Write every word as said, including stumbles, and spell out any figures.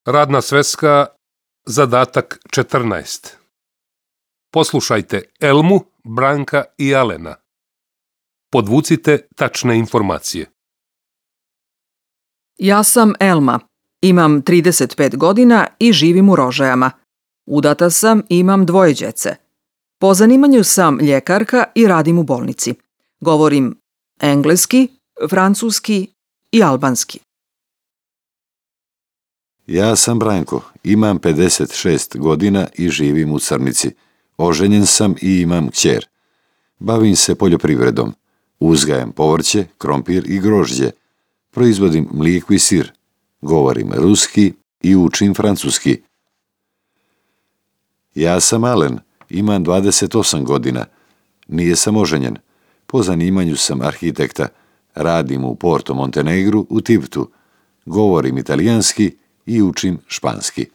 Radna sveska, zadatak četrnaest. Poslušajte Elmu, Branka i Alena. Podvucite tačne informacije. Ja sam Elma. Imam trideset pet godina i živim u Rožajama. Udata sam i imam dvoje djece. Po zanimanju sam ljekarka i radim u bolnici. Govorim engleski, francuski i albanski. Ja sam Branko, imam pedeset šest godina i živim u Crnici. Oženjen sam i imam kćer. Bavim se poljoprivredom. Uzgajam povrće, krompir i grožđe. Proizvodim mlijeko i sir. Govorim ruski i učim francuski. Ja sam Alen, imam dvadeset osam godina. Nije sam oženjen. Po zanimanju sam arhitekta. Radim u Porto Montenegru u Tivtu. Govorim italijanski i učim španski.